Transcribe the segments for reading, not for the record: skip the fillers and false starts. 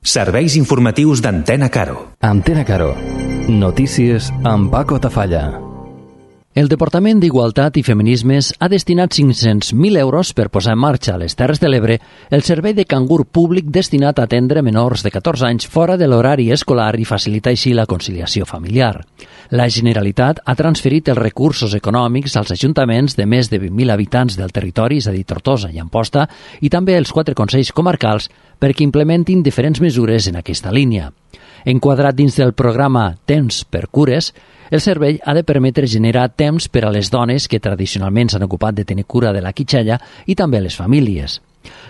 Serveis informatius d'Antena Caro. Antena Caro. Notícies amb Paco Tafalla. El Departament d'Igualtat i Feminismes ha destinat 500.000 euros per posar en marxa a les Terres de l'Ebre el servei de cangur públic destinat a atendre menors de 14 anys fora de l'horari escolar i facilitar així la conciliació familiar. La Generalitat ha transferit els recursos econòmics als ajuntaments de més de 20.000 habitants del territori, és a dir, Tortosa i Amposta, i també als 4 consells comarcals perquè implementin diferents mesures en aquesta línia. Enquadrat dins del programa Temps per Cures, el servei ha de permetre generar temps per a les dones que tradicionalment s'han ocupat de tenir cura de la quitxalla i també a les famílies.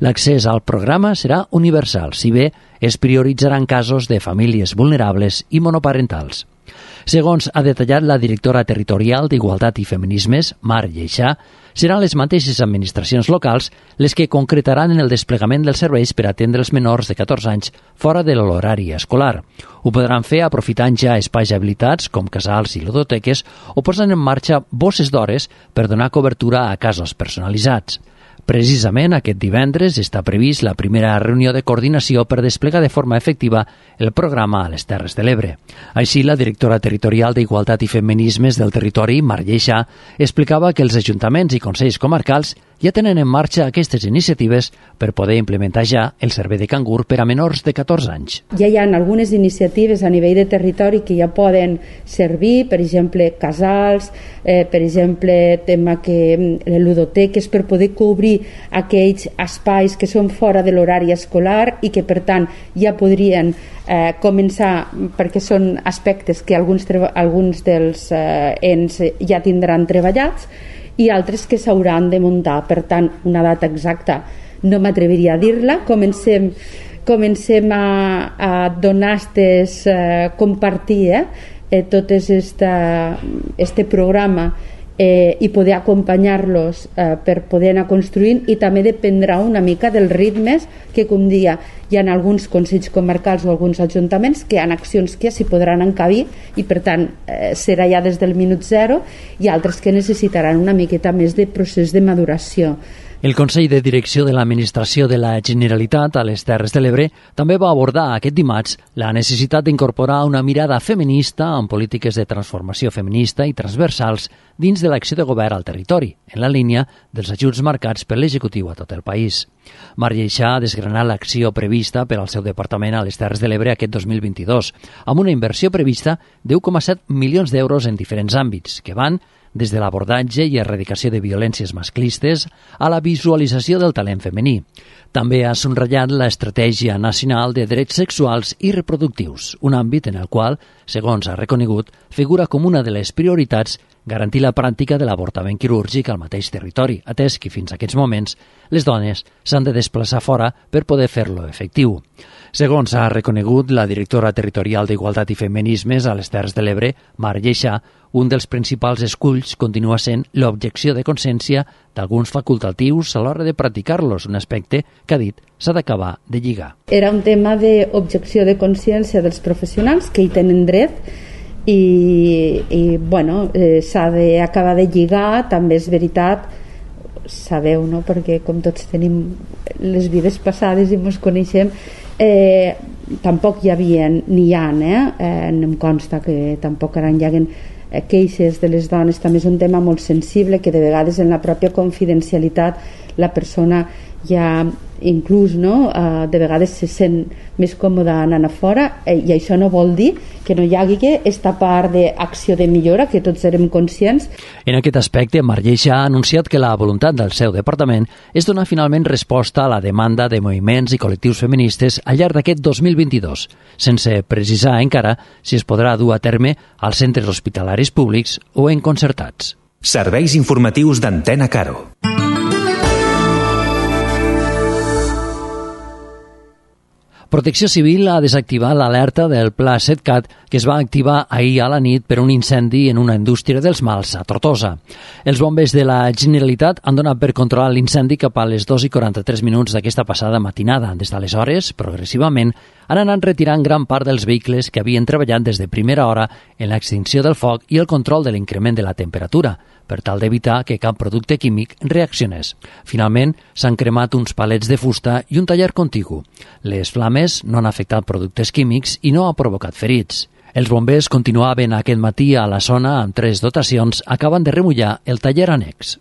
L'accés al programa serà universal, si bé es prioritzaran casos de famílies vulnerables i monoparentals. Segons ha detallat la directora territorial d'Igualtat i Feminismes, Mar Lleixà, seran les mateixes administracions locals les que concretaran en el desplegament dels serveis per atendre els menors de 14 anys fora de l'horari escolar. Ho podran fer aprofitant ja espais habilitats com casals i ludoteques o posant en marxa bosses d'hores per donar cobertura a casos personalitzats. Precisament aquest divendres està previst la primera reunió de coordinació per desplegar de forma efectiva el programa a les Terres de l'Ebre. Així, la directora territorial d'Igualtat i Feminismes del territori, Mar Lleixà, explicava que els ajuntaments i consells comarcals ja tenen en marxa aquestes iniciatives per poder implementar ja el servei de cangur per a menors de 14 anys. Ja hi ha algunes iniciatives a nivell de territori que ja poden servir, per exemple, casals, per exemple, tema que ludoteques, per poder cobrir aquells espais que són fora de l'horari escolar i que, per tant, ja podrien començar, perquè són aspectes que alguns dels ens ja tindran treballats i altres que s'hauran de muntar. Per tant, una data exacta no m'atreviria a dir-la. Comencem a donar compartir tot este programa i poder acompanyar-los per poder anar construint, i també dependrà una mica dels ritmes que, com dia, hi ha alguns consells comarcals o alguns ajuntaments que hi ha accions que s'hi podran encabir i, per tant, serà ja des del minut zero, i altres que necessitaran una miqueta més de procés de maduració. El Consell de Direcció de l'Administració de la Generalitat a les Terres de l'Ebre també va abordar aquest dimarts la necessitat d'incorporar una mirada feminista en polítiques de transformació feminista i transversals dins de l'acció de govern al territori, en la línia dels ajuts marcats per l'executiu a tot el país. Mar Lleixà ha desgranat l'acció prevista per al seu departament a les Terres de l'Ebre aquest 2022, amb una inversió prevista de 1,7 milions d'euros en diferents àmbits, que van des de l'abordatge i erradicació de violències masclistes a la visualització del talent femení. També ha subratllat l'Estratègia Nacional de Drets Sexuals i Reproductius, un àmbit en el qual, segons ha reconegut, figura com una de les prioritats garantir la pràctica de l'avortament quirúrgic al mateix territori, atès que fins a aquests moments les dones s'han de desplaçar fora per poder fer-lo efectiu. Segons ha reconegut la directora territorial d'Igualtat i Feminismes a les Terres de l'Ebre, Mar Lleixà, un dels principals esculls continua sent l'objecció de consciència d'alguns facultatius a l'hora de practicar-los, un aspecte que, ha dit, s'ha d'acabar de lligar. Era un tema d'objecció de consciència dels professionals que hi tenen dret i s'ha d'acabar de lligar. També és veritat, sabeu, no? Perquè com tots tenim les vides passades i ens coneixem, tampoc hi havia ni hi ha, em consta que tampoc ara hi haguen queixes de les dones. També és un tema molt sensible que de vegades en la pròpia confidencialitat la persona ja inclús de vegades se sent més còmoda anant a fora, i això no vol dir que no hi hagi aquesta part d'acció de millora que tots érem conscients. En aquest aspecte, Mar Lleixà ha anunciat que la voluntat del seu departament és donar finalment resposta a la demanda de moviments i col·lectius feministes al llarg d'aquest 2022, sense precisar encara si es podrà dur a terme als centres hospitalaris públics o en concertats. Serveis informatius d'Antena Caro. Protecció Civil ha desactivat l'alerta del Pla 7CAT que es va activar ahir a la nit per un incendi en una indústria dels mals a Tortosa. Els bombers de la Generalitat han donat per controlar l'incendi cap a les 2:43 d'aquesta passada matinada. Des d'aleshores, progressivament, han anat retirant gran part dels vehicles que havien treballat des de primera hora en l'extinció del foc i el control de l'increment de la temperatura, per tal d'evitar que cap producte químic reaccionés. Finalment, s'han cremat uns palets de fusta i un taller contigu. Les flames no han afectat productes químics i no ha provocat ferits. Els bombers continuaven aquest matí a la zona amb 3 dotacions, acaben de remullar el taller annex.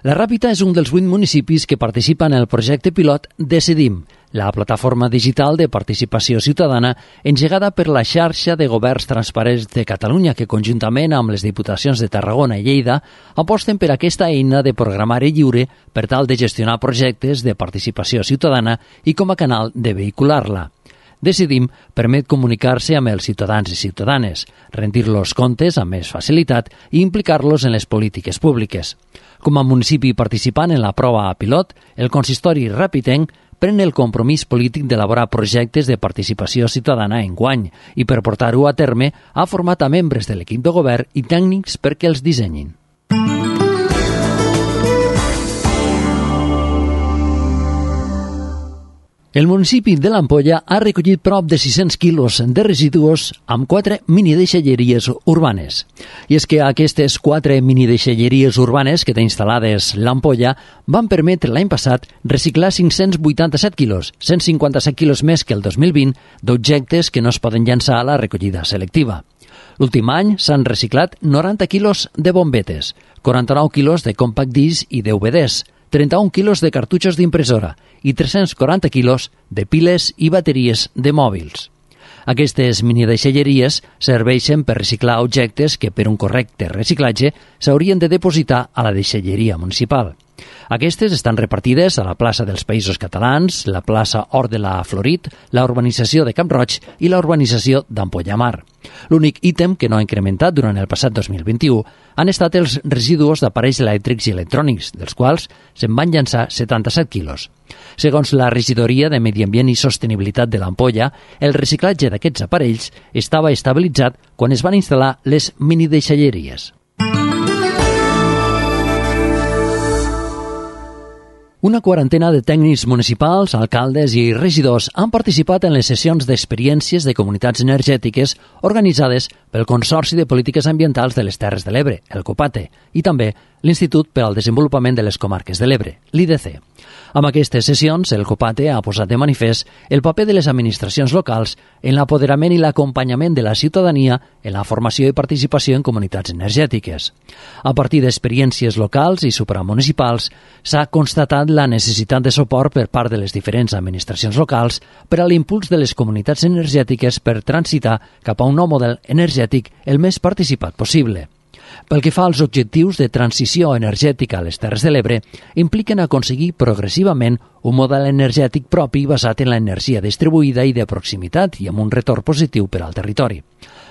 La Ràpita és un dels 8 municipis que participen en el projecte pilot Decidim, la plataforma digital de participació ciutadana engegada per la xarxa de governs transparents de Catalunya, que conjuntament amb les diputacions de Tarragona i Lleida aposten per aquesta eina de programari lliure per tal de gestionar projectes de participació ciutadana i com a canal de vehicular-la. Decidim permet comunicar-se amb els ciutadans i ciutadanes, rendir-los comptes amb més facilitat i implicar-los en les polítiques públiques. Com a municipi participant en la prova pilot, el consistori ràpitenc pren el compromís polític d'elaborar projectes de participació ciutadana enguany i per portar-ho a terme ha format a membres de l'equip de govern i tècnics perquè els dissenyin. El municipi de l'Ampolla ha recollit prop de 600 quilos de residus amb 4 minideixalleries urbanes. I és que aquestes 4 minideixalleries urbanes que té instal·lades l'Ampolla van permetre l'any passat reciclar 587 quilos, 157 quilos més que el 2020, d'objectes que no es poden llançar a la recollida selectiva. L'últim any s'han reciclat 90 quilos de bombetes, 49 quilos de compact disc i DVDs, 31 quilos de cartutxos d'impressora i 340 quilos de piles i bateries de mòbils. Aquestes minideixalleries serveixen per reciclar objectes que per un correcte reciclatge s'haurien de depositar a la deixalleria municipal. Aquestes estan repartides a la plaça dels Països Catalans, la plaça Hort de la Florit, la urbanització de Camp Roig i la urbanització d'Ampolla Mar. L'únic ítem que no ha incrementat durant el passat 2021 han estat els residus d'aparells elèctrics i electrònics, dels quals se'n van llançar 77 quilos. Segons la Regidoria de Medi Ambient i Sostenibilitat de l'Ampolla, el reciclatge d'aquests aparells estava estabilitzat quan es van instal·lar les minideixalleries. Una quarantena de tècnics municipals, alcaldes i regidors han participat en les sessions d'experiències de comunitats energètiques organitzades pel Consorci de Polítiques Ambientals de les Terres de l'Ebre, el COPATE, i també l'Institut per al Desenvolupament de les Comarques de l'Ebre, l'IDC. Amb aquestes sessions, el COPATE ha posat de manifest el paper de les administracions locals en l'apoderament i l'acompanyament de la ciutadania en la formació i participació en comunitats energètiques. A partir d'experiències locals i supramunicipals, s'ha constatat la necessitat de suport per part de les diferents administracions locals per a l'impuls de les comunitats energètiques per transitar cap a un nou model energètic el més participat possible. Pel que fa als objectius de transició energètica a les Terres de l'Ebre, impliquen aconseguir progressivament un model energètic propi basat en l'energia distribuïda i de proximitat i amb un retorn positiu per al territori.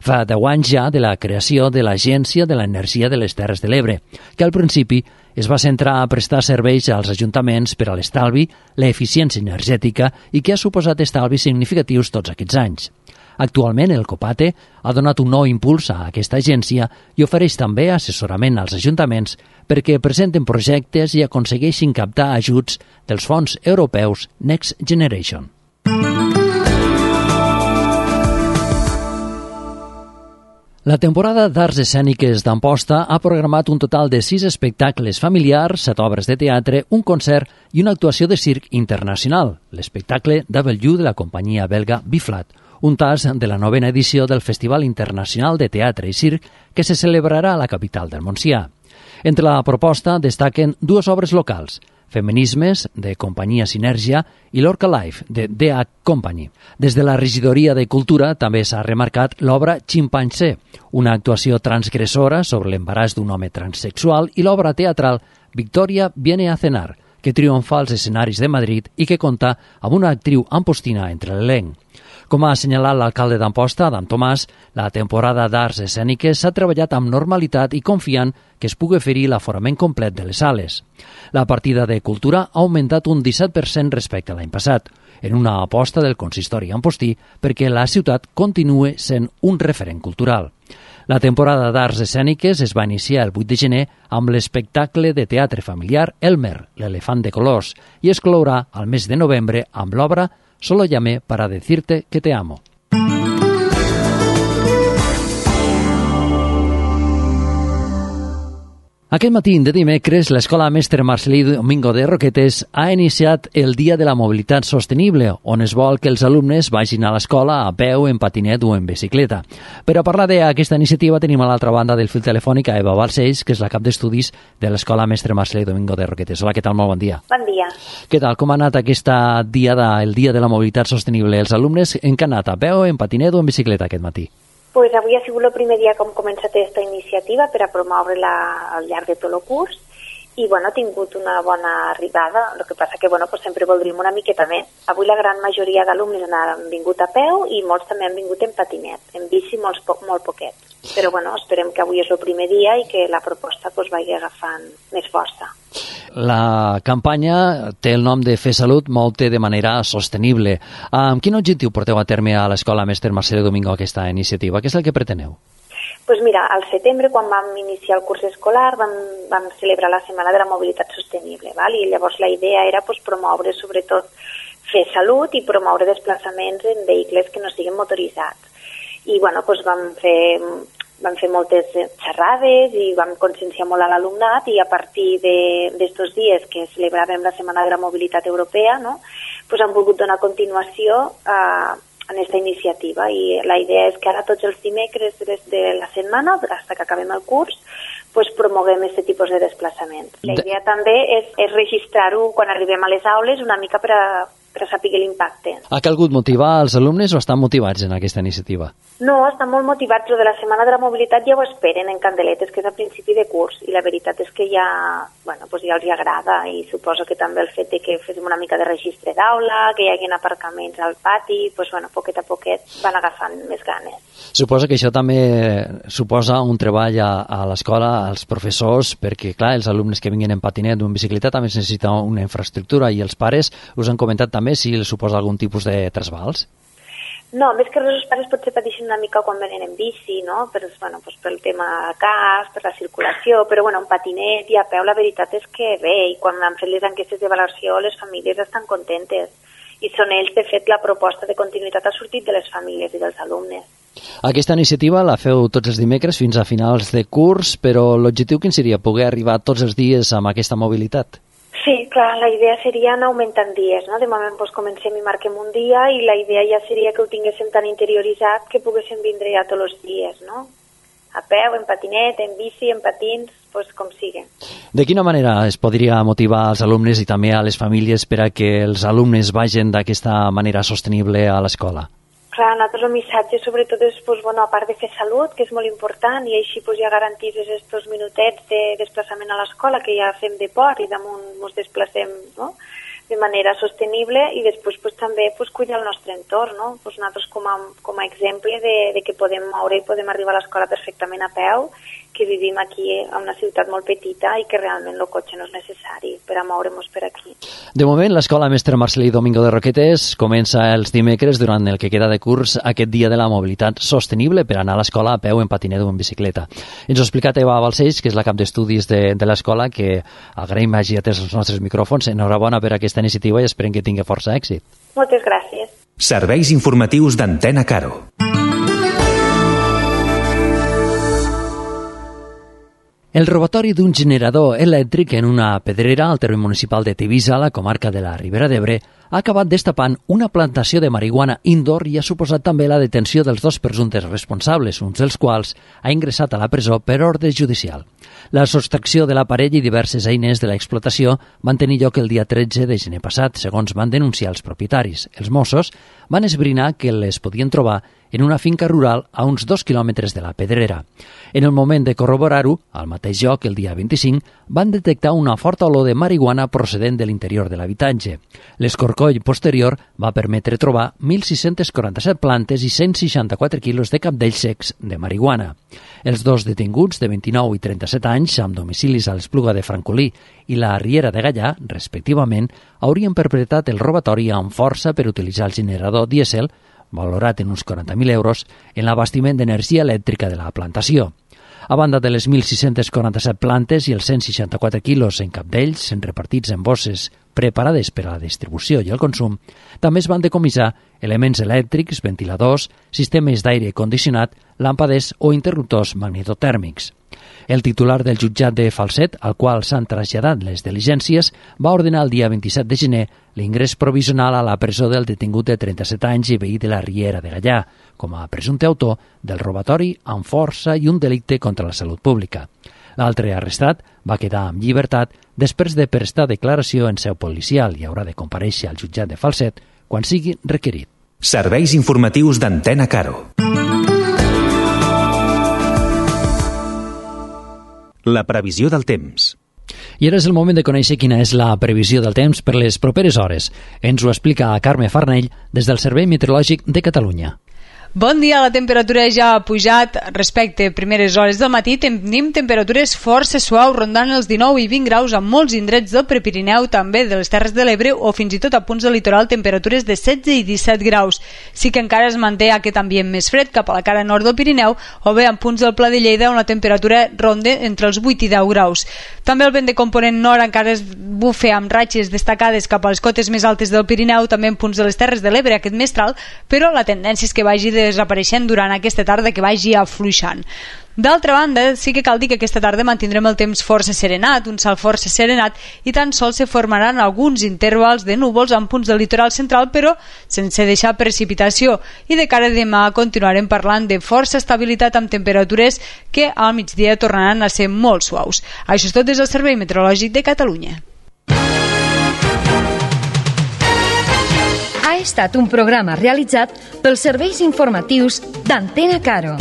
Fa 10 anys ja de la creació de l'Agència de l'Energia de les Terres de l'Ebre, que al principi es va centrar a prestar serveis als ajuntaments per a l'estalvi, l'eficiència energètica i que ha suposat estalvis significatius tots aquests anys. Actualment, el COPATE ha donat un nou impuls a aquesta agència i ofereix també assessorament als ajuntaments perquè presenten projectes i aconsegueixin captar ajuts dels fons europeus Next Generation. La temporada d'Arts Escèniques d'Amposta ha programat un total de 6 espectacles familiars, 7 obres de teatre, un concert i una actuació de circ internacional, l'espectacle W de la companyia belga Biflat, un tas de la 9a edició del Festival Internacional de Teatre i Circ que se celebrarà a la capital del Montsià. Entre la proposta destaquen 2 obres locals, Feminismes, de companyia Sinergia, i l'Orca Life, de DH Company. Des de la Regidoria de Cultura també s'ha remarcat l'obra Chimpancé, una actuació transgressora sobre l'embaràs d'un home transsexual, i l'obra teatral Victoria viene a cenar, que triomfa als escenaris de Madrid i que compta amb una actriu ampostina entre l'elenc. Com ha assenyalat l'alcalde d'Amposta, Adam Tomàs, la temporada d'arts escèniques s'ha treballat amb normalitat i confiant que es pugui oferir l'aforament complet de les sales. La partida de cultura ha augmentat un 17% respecte a l'any passat, en una aposta del consistori ampostí perquè la ciutat continue sent un referent cultural. La temporada d'arts escèniques es va iniciar el 8 de gener amb l'espectacle de teatre familiar Elmer, l'elefant de colors, i es clourà al mes de novembre amb l'obra Solo llamé para decirte que te amo. Aquest matí de dimecres, l'Escola Mestre Marcelí Domingo de Roquetes ha iniciat el Dia de la Mobilitat Sostenible, on es vol que els alumnes vagin a l'escola a peu, en patinet o en bicicleta. Per a parlar d'aquesta iniciativa tenim a l'altra banda del fil telefònic a Eva Balcells, que és la cap d'estudis de l'Escola Mestre Marcelí Domingo de Roquetes. Hola, què tal? Molt bon dia. Bon dia. Què tal? Com ha anat el Dia de la Mobilitat Sostenible? Els alumnes en què han anat? A peu, en patinet o en bicicleta aquest matí? Pues avui ha sigut el primer dia que hem començat aquesta iniciativa per a promoure-la al llarg de tot el curs i ha tingut una bona arribada. El que passa que pues sempre voldríem una miqueta més. Avui la gran majoria d'alumnes han vingut a peu i molts també han vingut en patinet, en bici molt poquets. Però esperem que avui és el primer dia i que la proposta vagi agafant més força. La campanya té el nom de Fer Salut, moure de manera sostenible. Amb quin objectiu porteu a terme a l'Escola Mestre Marcelí Domingo aquesta iniciativa? Què és el que preteneu? Doncs mira, al setembre, quan vam iniciar el curs escolar, vam celebrar la Setmana de la Mobilitat Sostenible, i llavors la idea era promoure sobretot fer salut i promoure desplaçaments en vehicles que no siguin motoritzats. I vam fer moltes xerrades i vam conscienciar molt a l'alumnat i a partir d'estos dies que celebràvem la Setmana de la Mobilitat Europea, hem volgut donar continuació en aquesta iniciativa i la idea és que ara tots els dimecres de la setmana, fins que acabem el curs, promoguem aquest tipus de desplaçaments. La idea també és registrar-ho quan arribem a les aules una mica per a saber l'impacte. Ha calgut motivar els alumnes o estan motivats en aquesta iniciativa? No, estan molt motivats. Lo de la Setmana de la Mobilitat ja ho esperen en candeletes, que és a principi de curs, i la veritat és que ja els hi agrada, i suposo que també el fet de que féssim una mica de registre d'aula, que hi hagi aparcaments al pati, poquet a poquet van agafant més ganes. Suposo que això també suposa un treball a l'escola, als professors, perquè, clar, els alumnes que vinguin en patinet o en bicicleta també necessiten una infraestructura, i els pares us han comentat també si els suposa algun tipus de trasbals? No, més que res els pares potser pateixen una mica quan venen en bici, no? Pel tema cas, per la circulació, però en patinet i a peu la veritat és que bé, i quan han fet les enquestes d'avaluació les famílies estan contentes. I són ells, de fet, la proposta de continuïtat ha sortit de les famílies i dels alumnes. Aquesta iniciativa la feu tots els dimecres fins a finals de curs, però l'objectiu quin seria? Poder arribar tots els dies amb aquesta mobilitat? Sí, clar, la idea seria anar augmentant dies, no? De moment comencem i marquem un dia i la idea ja seria que ho tinguéssim tan interioritzat que poguéssim vindre ja tots els dies, no? A peu, en patinet, en bici, en patins, com sigui. De quina manera es podria motivar als alumnes i també a les famílies per a que els alumnes vagin d'aquesta manera sostenible a l'escola? Clar, nosaltres el missatge sobretot és, a part de fer salut, que és molt important, i així ja garantir aquests minutets de desplaçament a l'escola, que ja fem deport i damunt ens desplacem, no?, de manera sostenible, i després també cuidar el nostre entorn, no? Nosaltres com a exemple de que podem moure i podem arribar a l'escola perfectament a peu, que vivim aquí a una ciutat molt petita i que realment el cotxe no és necessari per a moure'ns per aquí. De moment, l'Escola Mestre Marcelí Domingo de Roquetes comença els dimecres durant el que queda de curs aquest dia de la mobilitat sostenible per anar a l'escola a peu, en patinet o en bicicleta. Ens ho ha explicat Eva Balcells, que és la cap d'estudis de l'escola, que agraïm hagi atès els nostres micròfons. Enhorabona per aquesta iniciativa i esperem que tingui força èxit. Moltes gràcies. Serveis informatius d'Antena Caro. El robatori d'un generador elèctric en una pedrera al terme municipal de Tivissa, a la comarca de la Ribera d'Ebre, ha acabat destapant una plantació de marihuana indoor i ha suposat també la detenció dels dos presumptes responsables, un dels quals ha ingressat a la presó per ordre judicial. La sostracció de l'aparell i diverses eines de l'explotació van tenir lloc el dia 13 de gener passat, segons van denunciar els propietaris. Els Mossos van esbrinar que les podien trobar en una finca rural a uns 2 quilòmetres de la pedrera. En el moment de corroborar-ho, al mateix lloc, el dia 25, van detectar una forta olor de marihuana procedent de l'interior de l'habitatge. L'escorcoll posterior va permetre trobar 1.647 plantes i 164 quilos de cabdells secs de marihuana. Els dos detinguts, de 29 i 37 anys, amb domicilis a l'Espluga de Francolí i la Riera de Gallà, respectivament, haurien perpetrat el robatori amb força per utilitzar el generador dièsel valorat en uns 40.000 euros, en l'abastiment d'energia elèctrica de la plantació. A banda de les 1.647 plantes i els 164 quilos en cap d'ells, repartits en bosses preparades per a la distribució i el consum, també es van decomissar elements elèctrics, ventiladors, sistemes d'aire condicionat, làmpades o interruptors magnetotèrmics. El titular del jutjat de Falset, al qual s'han traslladat les diligències, va ordenar el dia 27 de gener l'ingrés provisional a la presó del detingut de 37 anys i veí de la Riera de Gallà, com a presumpte autor del robatori amb força i un delicte contra la salut pública. L'altre arrestat va quedar en llibertat després de prestar declaració en seu policial i haurà de comparèixer al jutjat de Falset quan sigui requerit. Serveis informatius d'Antena Caro. La previsió del temps. I ara és el moment de conèixer quina és la previsió del temps per les properes hores. Ens ho explica Carme Farnell des del Servei Meteorològic de Catalunya. Bon dia, la temperatura ja ha pujat respecte a primeres hores del matí. Tenim temperatures força suaus, rondant els 19 i 20 graus a molts indrets del Prepirineu, també de les Terres de l'Ebre o fins i tot a punts del litoral temperatures de 16 i 17 graus. Sí que encara es manté aquest ambient més fred cap a la cara nord del Pirineu o bé en punts del Pla de Lleida on la temperatura ronda entre els 8 i 10 graus. També el vent de component nord encara es bufa amb ratxes destacades cap a les cotes més altes del Pirineu, també en punts de les Terres de l'Ebre aquest mestral, però la tendència és que vagi desapareixent durant aquesta tarda, que vagi afluixant. D'altra banda, sí que cal dir que aquesta tarda mantindrem el temps força serenat, un cel força serenat, i tan sols se formaran alguns intervals de núvols en punts del litoral central, però sense deixar precipitació. I de cara a demà continuarem parlant de força estabilitat amb temperatures que al migdia tornaran a ser molt suaus. Això és tot des del Servei Meteorològic de Catalunya. Ha estat un programa realitzat pels serveis informatius d'Antena Caro.